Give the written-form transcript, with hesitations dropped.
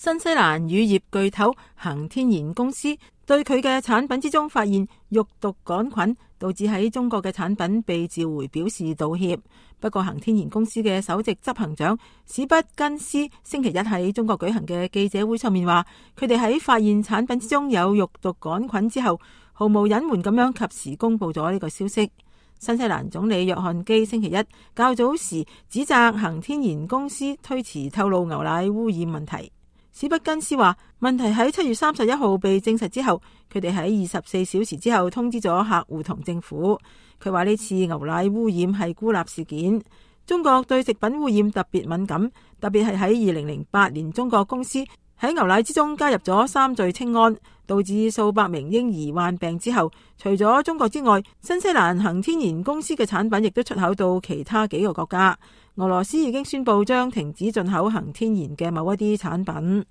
新西蘭乳業巨頭恒天然公司對佢嘅產品之中發現肉毒桿菌，導致喺中國嘅產品被召回表示道歉。不過恒天然公司嘅首席執行長史畢根斯星期一喺中國舉行嘅記者會上面話，佢哋喺發現產品之中有肉毒桿菌之後，毫無隱瞞咁樣及時公布咗呢個消息。新西蘭總理約翰基星期一較早時指責恒天然公司推遲透露牛奶污染問題。史畢根斯話，問題喺7月31號被證實之後，佢哋喺24小時之後通知咗客戶同政府。佢話呢次牛奶污染係孤立事件。中國對食品污染特別敏感，特別係喺2008年中國公司喺牛奶之中加入咗三聚氰胺，導致數百名嬰兒患病之後，除咗中國之外，新西蘭恒天然公司嘅產品亦都出口到其他幾個國家。俄羅斯已經宣布將停止進口恒天然嘅某一啲產品。